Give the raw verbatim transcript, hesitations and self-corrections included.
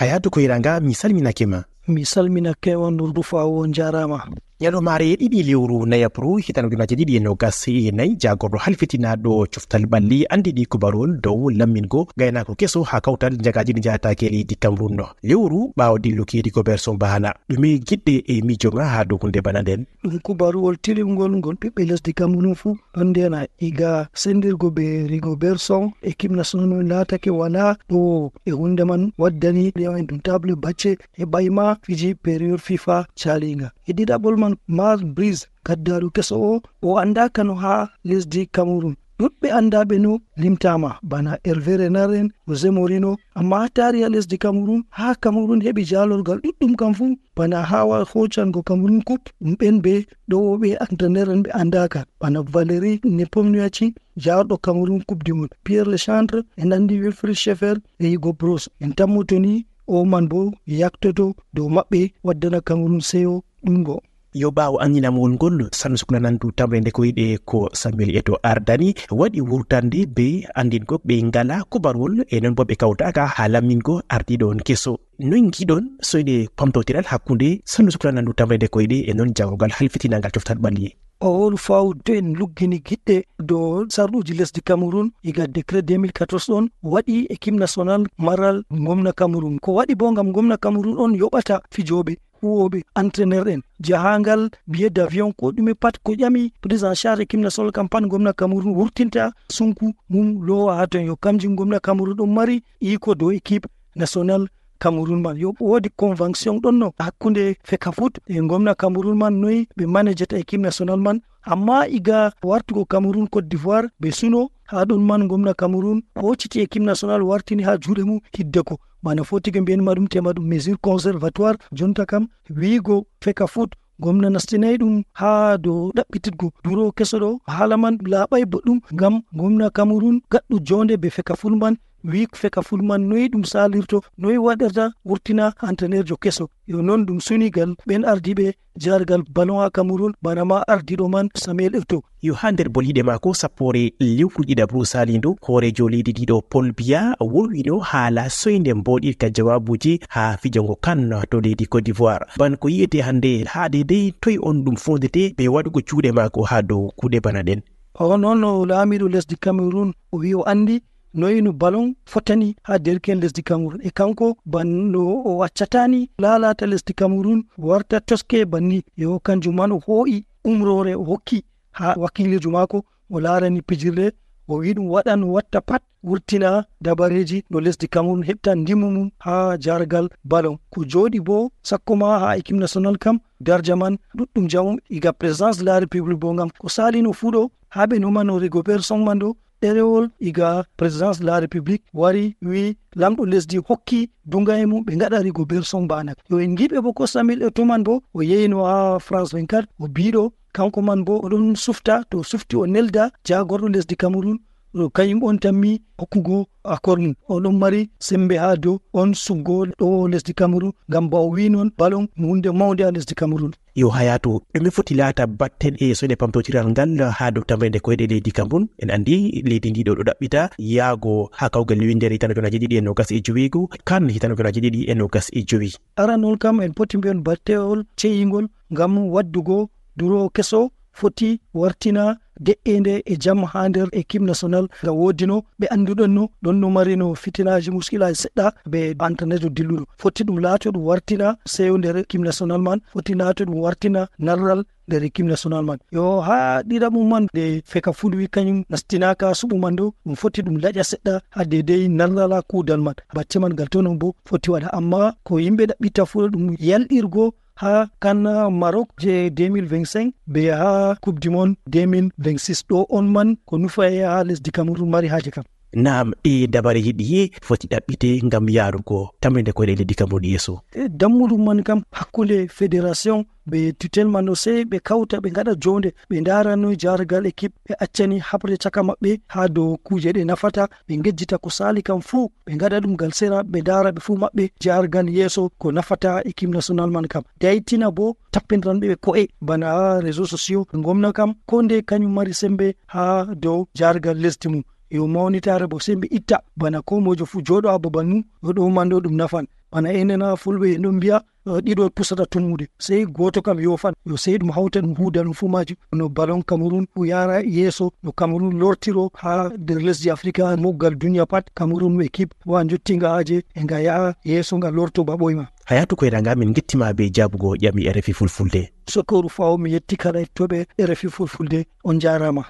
Hayatou Koiranga, mi salminake ma. Mi salminake on Rufawo, on jarama. Ñalawmaare ɗiɗi lewru nayabru hitande ujunaaji ɗiɗi e nogas e nayi, jaagorɗo halfitinaaɗo coftal ɓalli anndini kubarol dow lammingo gaynaako keso haa kawtal njagaaji ɗi njahataake e leydi Cameroun. Lewru ɓaawo dilluki Rigobert Song Bahana. Ɗume giɗɗe e miijo ma haa dow huunde bana nden? Ɗum kubaruwol tilimngol ngol ɓiɓɓe lesdi Cameroun fuu ɗon ndena iga sendirgo be Rigobert Song, équipe nationale on laatake wala ɗo e huunde man waddani ɗum table bacce e ɓayma fiji période fifa calinga. E ɗiɗaɓol man, Marc Brise, gaddaaɗo keso o, o anndaaka no haa lesdi Cameroun. Ɗuɗɓe anndaaɓe no limtaama, bana Hervé Renard en, José Mourinho, amma haa taariha lesdi Cameroun, haa Cameroun heɓi jaalorgal ɗuɗɗum kam fuu, bana haa wa-, hoocango Cameroun Coupe, ɗum ɓen ɓe ɗowooɓe entraîneur en ɓe anndaaka, bana Valéry Nepomniachtchi, jaarɗo Cameroun Coupe du Monde, Pierre Legendre, en anndi Wilfried Schaeffer e Hugo Broos. En tammoto ni o man bo yaktoto dow maɓɓe, waddana Cameroun seyo ɗuɗngo. Yo ɓaawo anndinamol ngol, Sannu Sukla Nandu tamre nde koyɗe ko Samuel Eto'o ardani, waɗi wurtande be anndingo ɓe ngala kubarwol e non bo ɓe kawtaaka haa lammingo ardiiɗo on keso. Noy ngiɗon soyde pamtotiral hakkunde Sannu Sukla Nandu tamre nde koyɗe e non jagorgal halfitinangal coftal ɓalli? O wolu faw to en luggini giɗɗe dow sarɗuuji lesdi Cameroun, iga décret deux mille quatorze ɗon waɗi équipe nationale maral ngomna Cameroun. Ko waɗi bo ngam ngomna Cameroun on yoɓata fijooɓe, huwooɓe, entraîneur en. Jahangal, billet d'avion, ko ɗume pat ko ƴami prise en charge équipe nationale kam pat ngomna Cameroun wurtinta sunku mum loowa haa ton. Yo kamji ngomna Cameroun ɗon mari iko dow équipe nationale Cameroun man. Yo woodi convention ɗon no hakkunde Fecafoot e ngomna Cameroun man, noy ɓe manejata équipe nationale man. Amma iga wartugo Cameroun Côte d'Ivoire, ɓe suno haa ɗon man ngomna Cameroun hoociti équipe nationale wartini haa juuɗe mum hiddeko. Bana foti ko mbiyanmi ma ɗum tema ɗum mesure conservatoire, jonta kam wiigo Fecafoot, ngomna nastinay ɗum haa dow ɗaɓɓititgo duro keso ɗo. Haala man laaɓay boɗɗum ngam ngomna Cameroun gaɗɗo jonde be Fecafoot man, wiik Fecafoot man noy ɗum salirto, noy waɗirta wurtina entraîneurjo keso. Yo non ɗum suni gal ɓen ardiiɓe jargal ballon haa Cameroun, bana ma ardiiɗo man Samuel Eto'o. Yo haa nder boliiɗe maako sappoore lewru ɗiɗaɓru salindo, hooreejo leydi ndi ɗo Paul Biya wolwino haala soynde mboɗirka jawaabuuji haa fijango CAN to leydi Côte d'Ivoire. Ban ko yi'ete hannde haa deydey toy on ɗum fondete be waɗugo juuɗe maako haa dow kuuɗe bana ɗen? O non o laamiiɗo lesdi Cameroun, o wi'i o anndi noy no ballon fotani haa derke'en lesdi Cameroun. E kanko ban no o accatani laalata lesdi Cameroun warta toske banni. Yo kanjum man o hoo'i umroore o hokki haa wakiiliijo maako, o laarani pijirle, o wi'i ɗum waɗan, o watta pat, wurtina dabareeji no lesdi Cameroun heɓta ndimu mum haa jargal ballon. Ko jooɗi bo sakko ma haa équipe nationale kam, darja man ɗuɗɗum jamum iga présidence de la République bo ngam ko salino fuu ɗo haa ɓe numano Rigobert Song man ɗo, ɗerewol iga présidence de la République wari wi'i lamɗo lesdi hokki duŋgaye mum ɓe ngaɗa Rigobert Song bana. Yo en ngiɓe bo ko Samuel Eto'o man bo o yeyino haa France vingt-quatre, o biiɗo kanko man bo o ɗon sufta, to o sufti o nelda jaagorɗo lesdi Cameroun, ɗo kañum on tammi hokkugo accord mum. O ɗon mari sembe haa dow on suggo ɗo lesdi Cameroun, ngam ba o wi'i non ballon no hunde mawnde haa lesdi Cameroun. Yo Hayatou, ɗume foti laata batten e soyde pamtotiral ngal haa dow tamrende koyɗe leydi Cameroun? En anndi leydi ndi ɗo ɗo ɗaɓɓita yaago haa kawgal winndere hitande ujunaaji ɗiɗi e nogas e joweego, CAN hitande ujunaaji ɗiɗi e nogas e jowi. Aranol kam en poti mbiyon battewol ceyingol ngam waddugo duro keso foti wartina de'eende e jam haa nder équipe nationale ngam woodino ɓe annduɗon no ɗon no marino fitinaaji muskilaaji seɗɗa be entraîneur dilluɗo. Foti ɗum laato ɗum wartina seyo nder équipe nationale man, foti laato ɗum wartina narral nder équipe nationale man. Yo haa ɗiɗaɓum man nde Fecafoot wi kañum nastinaaka suɓu man ɗo, ɗum foti ɗum laƴa seɗɗa haa deydey narral haa kuudal man. Bacce man ngal to non bo foti waɗa, amma ko yimɓe ɗaɓɓita fuu ɗum yalɗirgo haa CAN Maroc je deux mille vingt-cinq be haa Coupe du Monde deux mille vingt-six. Ɗo on man ko nufaye haa lesdi Cameroun mari haaje kam. Naam, e dabareeji ɗiye foti ɗaɓɓite ngam yaarugo tamrinde koyɗe leydi Cameroun yeeso? E dammuɗum man kam hakkunde fédération be tutelle man ɗo, sey ɓe kawta ɓe ngaɗa joonde, ɓe ndaara noy jaaragal équipe ɓe accani haɓre caka maɓɓe haa dow kuuje ɗe nafata, ɓe ngejjita ko saali kam fuu, ɓe ngaɗa ɗum ngal sera, ɓe ndaara ɓe fuu maɓɓe jaaragal yeeso ko nafata équipe nationale man kam. Daytina bo tappindiranɓe ɓe ko'e bana haa réseaux sociaux, ngomna kam ko nde kañum mari sembe haa dow jaaragal lesdi mum. yo mawnitaare bo sembe itta, bana ko mojo fu jooɗo ha babal mum, yo ɗo man ɗo ɗum nafan. Bana enen ha Fulɓe en ɗon mbi'a, eh, ɗiɗo pusata tummude, sey gooto kam yoofan, yo sey ɗum hawta ɗum huuda ɗum fu maajum. No balon Kamerun fu yaara yeeso, no Kamerun lortiro ha nder lesdi Afrika, moggal duniya pat, Kamerun no ekip wa jottinga haaje, e nga yaha yeeso nga lorto ba ɓoyma. Hayatu Koyranga, min ngettima be jaabugo ƴami R F I Fulfulde. Sokkoru Fawo, mi yetti kala hettoɓe R F I Fulfulde, on njaarama.